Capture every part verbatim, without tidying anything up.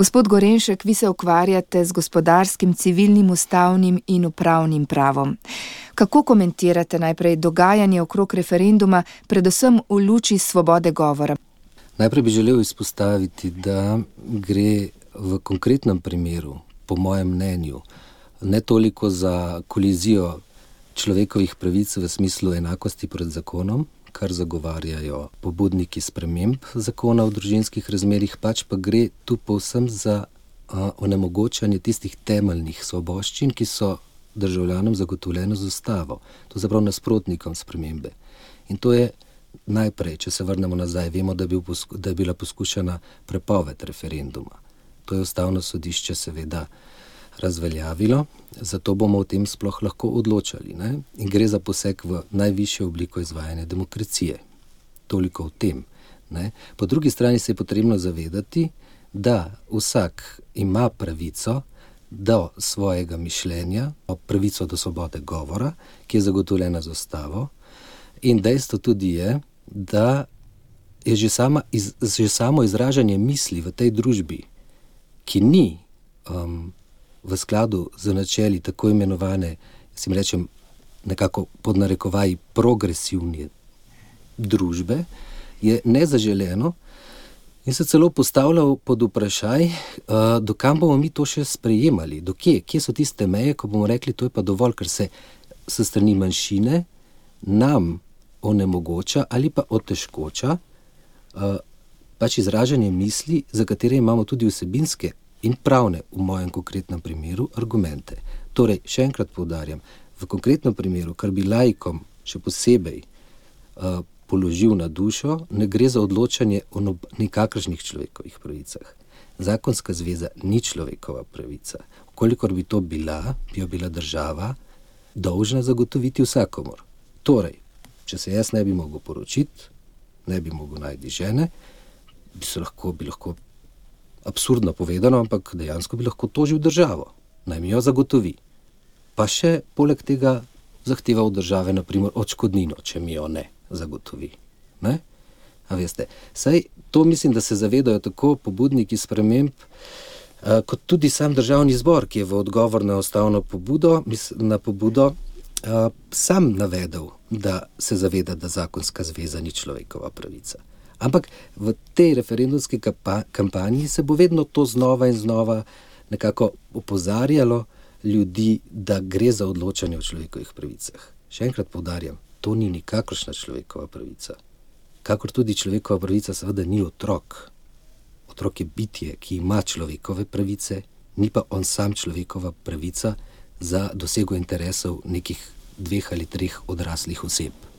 Gospod Gorenšek, vi se ukvarjate z gospodarskim, civilnim, ustavnim in upravnim pravom. Kako komentirate najprej dogajanje okrog referenduma, predvsem v luči svobode govora? Najprej bi želel izpostaviti, da gre v konkretnem primeru, po mojem mnenju, ne toliko za kolizijo človekovih pravic v smislu enakosti pred zakonom, kar zagovarjajo pobudniki sprememb zakona o družinskih razmerjih, pač pa gre tu povsem za a, onemogočanje tistih temeljnih svoboščin, ki so državljanom zagotovljene z ustavo, to zaprav nasprotnikom spremembe. In to je najprej, če se vrnemo nazaj, vemo, da, bil posku, da je bila poskušana prepoved referenduma. To je ustavno sodišče seveda razveljavilo, zato bomo o tem sploh lahko odločali. Ne? In gre za poseg v najvišjo obliko izvajanja demokracije. Toliko o tem. Ne? Po drugi strani se je potrebno zavedati, da vsak ima pravico do svojega mišljenja, pravico do svobode govora, ki je zagotovljena z ustavo. In dejstvo tudi je, da je že, sama, iz, že samo izražanje misli v tej družbi, ki ni um, v skladu z načeli tako imenovane, si mi rečem, nekako pod narekovaji progresivne družbe, je nezaželeno in se celo postavljal pod vprašaj, uh, do kam bomo mi to še sprejemali, do kje, kje so tiste meje, ko bomo rekli, to je pa dovolj, ker se s strani manjšine nam onemogoča ali pa otežkoča uh, pač izražanje misli, za katere imamo tudi vsebinske in pravne, v mojem konkretnem primeru, argumente. Torej, še enkrat poudarjam, v konkretnem primeru, kar bi laikom še posebej uh, položil na dušo, ne gre za odločanje o nob- nikakršnih človekovih pravicah. Zakonska zveza ni človekova pravica. Kolikor bi to bila, bi jo bila država dolžna zagotoviti vsakomor. Torej, če se jaz ne bi mogel poročiti, ne bi mogel najti žene, bi se lahko, bi lahko absurdno povedano, ampak dejansko bi lahko tožil državo, naj mi jo zagotovi. Pa še poleg tega zahteva od države, na primer, odškodnino, če mi jo ne zagotovi. Ne? A veste, saj to mislim, da se zavedajo tako pobudniki sprememb, eh, kot tudi sam državni zbor, ki je v odgovor na ustavno pobudo, na pobudo eh, sam navedel, da se zaveda, da zakonska zveza ni človekova pravica. Ampak v tej referendumski kampanji se bo vedno to znova in znova nekako opozarjalo ljudi, da gre za odločanje o človekovih pravicah. Še enkrat poudarjam, to ni nikakršna človekova pravica. Kakor tudi človekova pravica seveda ni otrok. Otrok je bitje, ki ima človekove pravice, ni pa on sam človekova pravica za dosego interesov nekih dveh ali treh odraslih oseb.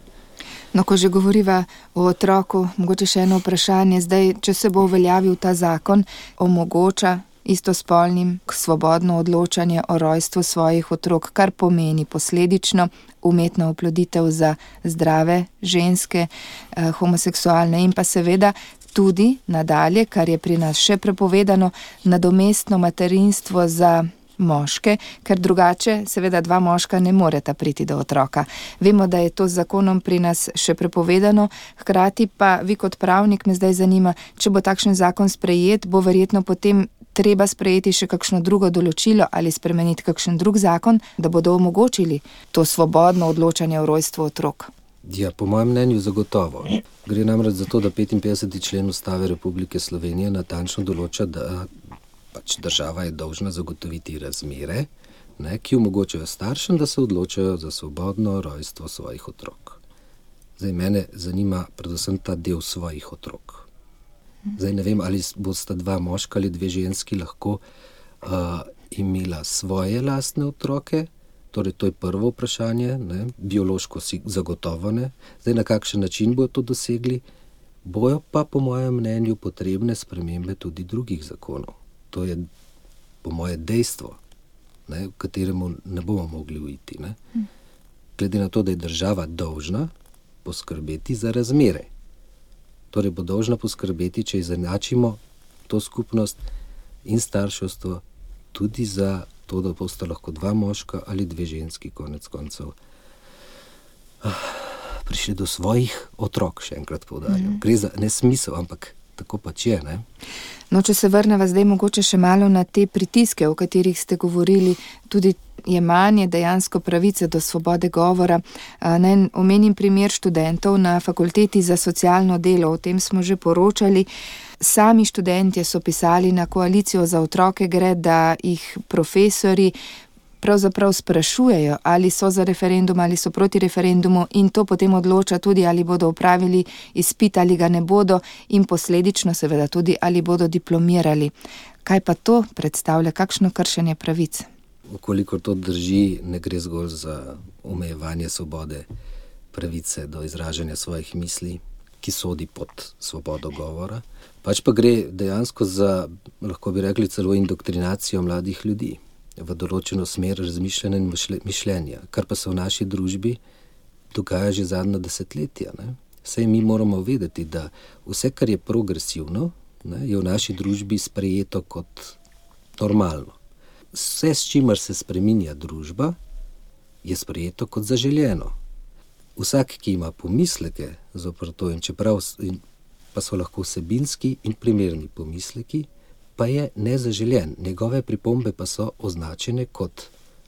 No, ko že govoriva o otroku, mogoče še eno vprašanje. Zdaj, če se bo uveljavil ta zakon, omogoča istospolnim svobodno odločanje o rojstvu svojih otrok, kar pomeni posledično umetno oploditev za zdrave ženske, eh, homoseksualne in pa seveda tudi nadalje, kar je pri nas še prepovedano, nadomestno materinstvo za moške, ker drugače seveda dva moška ne moreta priti do otroka. Vemo, da je to z zakonom pri nas še prepovedano, hkrati pa vi kot pravnik me zdaj zanima, če bo takšen zakon sprejet, bo verjetno potem treba sprejeti še kakšno drugo določilo ali spremeniti kakšen drug zakon, da bodo omogočili to svobodno odločanje o rojstvu otrok. Ja, po mojem mnenju zagotovo. Gre namreč za to, da petinpetdeseti člen Ustave Republike Slovenije natančno določa, da pač država je dolžna zagotoviti razmere, ne, ki omogočajo staršem, da se odločajo za svobodno rojstvo svojih otrok. Zdaj, mene zanima predvsem ta del svojih otrok. Zdaj ne vem, ali bosta dva moška ali dve ženski lahko uh, imela svoje lastne otroke, torej to je prvo vprašanje, ne, biološko si zagotovo ne. Zdaj, na kakšen način bojo to dosegli, bojo pa po mojem mnenju potrebne spremembe tudi drugih zakonov. To je po moje dejstvo, ne, v kateremu ne bomo mogli uiti. Ne. Glede na to, da je država dolžna poskrbeti za razmere. Torej bo dolžna poskrbeti, če izenačimo to skupnost in starševstvo tudi za to, da bosta lahko dva moška ali dve ženski konec koncev prišli do svojih otrok, še enkrat poudarjam. Mm. Gre za nesmisel, ampak tako pač je, ne. No, če se vrneva zdaj mogoče še malo na te pritiske, o katerih ste govorili, tudi jemanje dejansko pravice do svobode govora. Naj omenim primer študentov na Fakulteti za socialno delo, o tem smo že poročali. Sami študentje so pisali na Koalicijo za otroke gre, da jih profesorji pravzaprav sprašujejo, ali so za referendum, ali so proti referendumu, in to potem odloča tudi, ali bodo opravili izpit, ali ga ne bodo, in posledično seveda tudi, ali bodo diplomirali. Kaj pa to predstavlja, kakšno kršenje pravic? Ukolikor to drži, ne gre zgolj za omejevanje svobode pravice do izražanja svojih misli, ki sodi pod svobodo govora, pač pa gre dejansko za, lahko bi rekli, celo indoktrinacijo mladih ljudi v določeno smer razmišljanja in mišljenja, kar pa se v naši družbi dogaja že zadnja desetletja. Ne? Saj mi moramo vedeti, da vse, kar je progresivno, ne, je v naši družbi sprejeto kot normalno. Vse, s čimer se spreminja družba, je sprejeto kot zaželjeno. Vsak, ki ima pomisleke zoper to, in čeprav in pa so lahko vsebinski in primerni pomisleki, pa je nezaželjen. Njegove pripombe pa so označene kot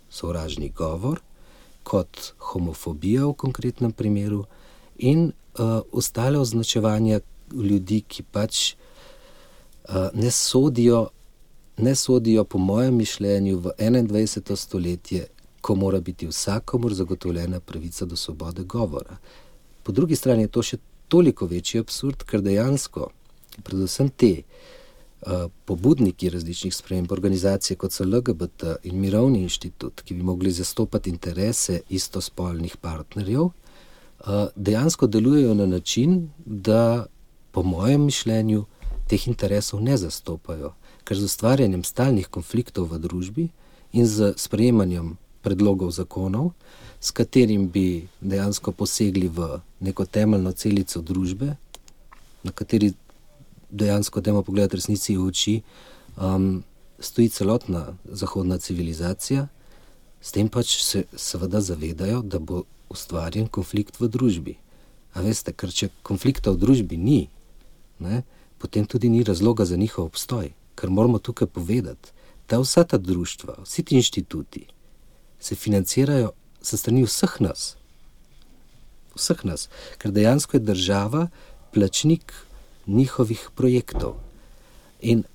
sovražni govor, kot homofobija v konkretnem primeru in uh, ostale označevanja ljudi, ki pač uh, ne sodijo, ne sodijo po mojem mišljenju v enaindvajseto stoletje, ko mora biti vsakomur zagotovljena pravica do svobode govora. Po drugi strani je to še toliko večji absurd, ker dejansko, predvsem te uh, pobudniki različnih sprememb, organizacije kot so L G B T in Mirovni inštitut, ki bi mogli zastopati interese istospolnih partnerjev, uh, dejansko delujejo na način, da po mojem mišljenju teh interesov ne zastopajo, ker z ustvarjanjem stalnih konfliktov v družbi in z sprejemanjem predlogov zakonov, s katerim bi dejansko posegli v neko temeljno celico družbe, na kateri dejansko dajmo pogledati resnici v oči, um, stoji celotna zahodna civilizacija, s tem pač se seveda zavedajo, da bo ustvarjen konflikt v družbi. A veste, ker če konflikta v družbi ni, ne, potem tudi ni razloga za njihov obstoj, ker moramo tukaj povedati, da vsa ta društva, vsi ti inštituti se financirajo sa strani vseh nas. Vseh nas. Ker dejansko je država plačnik njihovih projektov. In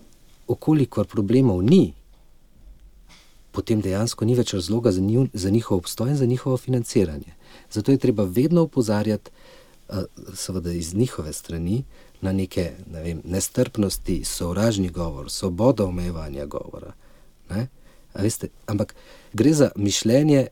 okolikor problemov ni, potem dejansko ni več razloga za, njih, za njihov obstoj in za njihovo financiranje. Zato je treba vedno opozarjati, seveda iz njihove strani, na neke, ne vem, nestrpnosti, sovražni govor, svobodo omejevanja govora. Ne? A veste, ampak gre za mišljenje,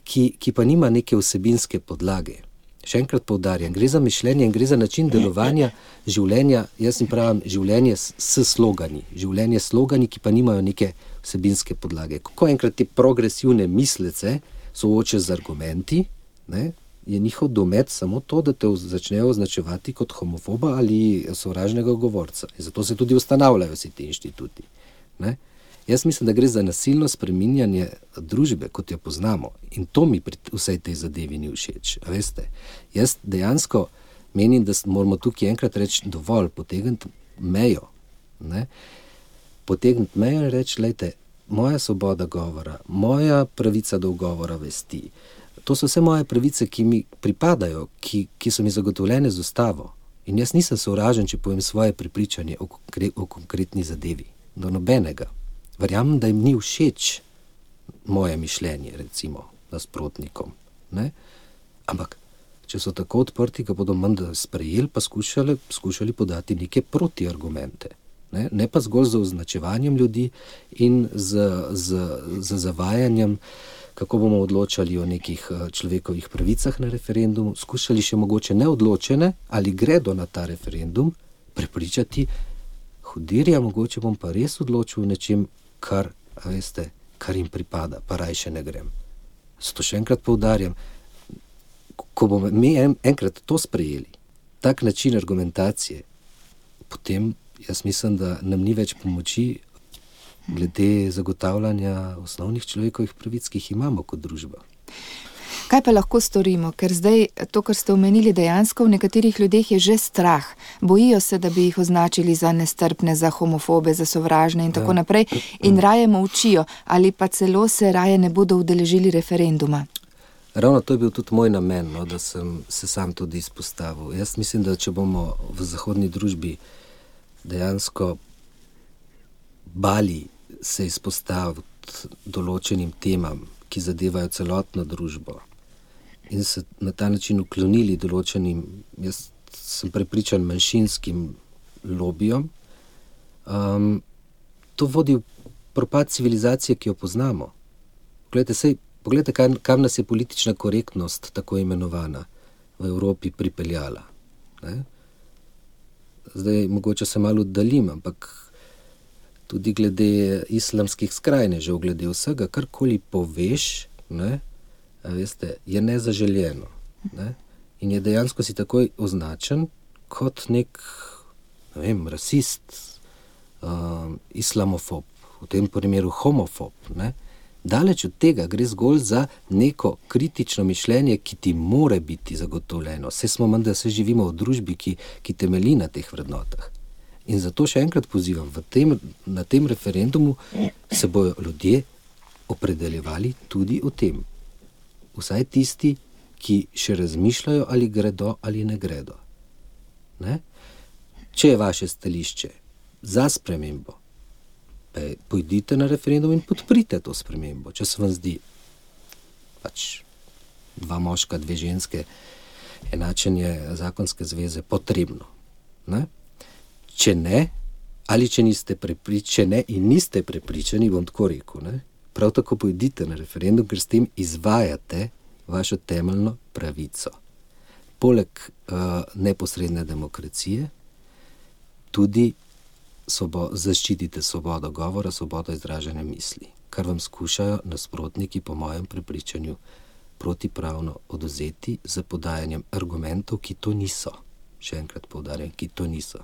ki, ki pa nima neke vsebinske podlage. Še enkrat poudarjam, gre za mišljenje in gre za način delovanja življenja, jaz jim pravim, življenje s, s slogani. Življenje s slogani, ki pa nimajo neke vsebinske podlage. Ko enkrat te progresivne mislece soočiš z argumenti, ne, je njihov domet samo to, da te začnejo označevati kot homofoba ali sovražnega govorca. In zato se tudi ustanavljajo vsi ti inštituti. Ne. Jaz mislim, da gre za nasilno spreminjanje družbe, kot jo poznamo. In to mi pri vsej tej zadevi ni všeč. A veste, jaz dejansko menim, da moramo tukaj enkrat reči dovolj, potegniti mejo. Ne? Potegniti mejo in reči, lejte, moja svoboda govora, moja pravica do govora vesti, to so vse moje pravice, ki mi pripadajo, ki, ki so mi zagotovljene z ustavo. In jaz nisem sovražen, če povem svoje prepričanje o, konkre, o konkretni zadevi. Do nobenega. Verjamem, da jim ni všeč moje mišljenje, recimo, nasprotnikom. Ne? Ampak, če so tako odprti, ga bodo menda sprejeli, pa skušali, skušali podati neke protiargumente. Ne? Ne pa zgolj z označevanjem ljudi in z, z, z zavajanjem, kako bomo odločali o nekih človekovih pravicah na referendumu, skušali še mogoče neodločene, ali gredo na ta referendum, prepričati, hudirja, mogoče bom pa res odločil v nečem, kar, a veste, kar jim pripada, pa rajše ne grem. Zato še enkrat poudarjam, ko bomo mi en, enkrat to sprejeli, tak način argumentacije, potem jaz mislim, da nam ni več pomoči glede zagotavljanja osnovnih človekovih pravic, ki jih imamo kot družba. Kaj pa lahko storimo? Ker zdaj to, kar ste omenili, dejansko v nekaterih ljudeh je že strah. Bojijo se, da bi jih označili za nestrpne, za homofobe, za sovražne in tako ja. naprej in raje molčijo ali pa celo se raje ne bodo udeležili referenduma. Ravno to je bil tudi moj namen, no, da sem se sam tudi izpostavil. Jaz mislim, da če bomo v zahodni družbi dejansko bali se izpostaviti določenim temam, ki zadevajo celotno družbo in se na ta način uklonili določenim, jaz sem prepričan, manjšinskim lobijom, um, to vodi v propad civilizacije, ki jo poznamo. Poglejte, sej, poglejte kam, kam nas je politična korektnost, tako imenovana, v Evropi pripeljala. Ne? Zdaj, mogoče se malo oddaljim, ampak tudi glede islamskih skrajnežev, glede vsega, karkoli poveš, ne, veste, je nezaželjeno. Ne? In je dejansko si takoj označen kot nek, ne vem, rasist, um, islamofob, v tem primeru homofob. Ne? Daleč od tega gre zgolj za neko kritično mišljenje, ki ti more biti zagotovljeno. Vse smo menda, se živimo v družbi, ki, ki temelji na teh vrednotah. In zato še enkrat pozivam, v tem, na tem referendumu se bojo ljudje opredeljevali tudi o tem. Vsaj tisti, ki še razmišljajo, ali gredo ali ne gredo. Ne? Če je vaše stališče za spremembo, pojdite na referendum in podprite to spremembo. Če se vam zdi pač dva moška, dve ženske, enačenje zakonske zveze potrebno. Ne? Če ne, ali če niste prepričani in niste prepričani, bom tako rekel, ne? Prav tako pojdite na referendum, ker s tem izvajate vašo temeljno pravico. Poleg uh, neposredne demokracije tudi sobo, zaščitite svobodo govora, svobodo izražanja misli, kar vam skušajo nasprotniki po mojem prepričanju protipravno odvzeti z podajanjem argumentov, ki to niso. Še enkrat poudarjam, ki to niso.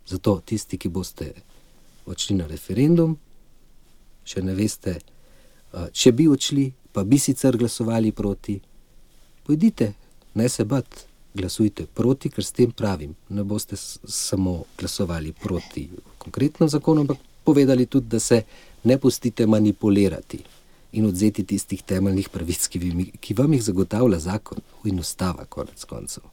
Zato tisti, ki boste odšli na referendum, še ne veste, če bi odšli, pa bi sicer glasovali proti, pojdite, ne se bat, glasujte proti, ker s tem pravim, ne boste samo glasovali proti konkretnem zakonu, ampak povedali tudi, da se ne pustite manipulirati in odzeti tistih temeljnih pravic, ki, vi, ki vam jih zagotavlja zakon in ustava konec koncev.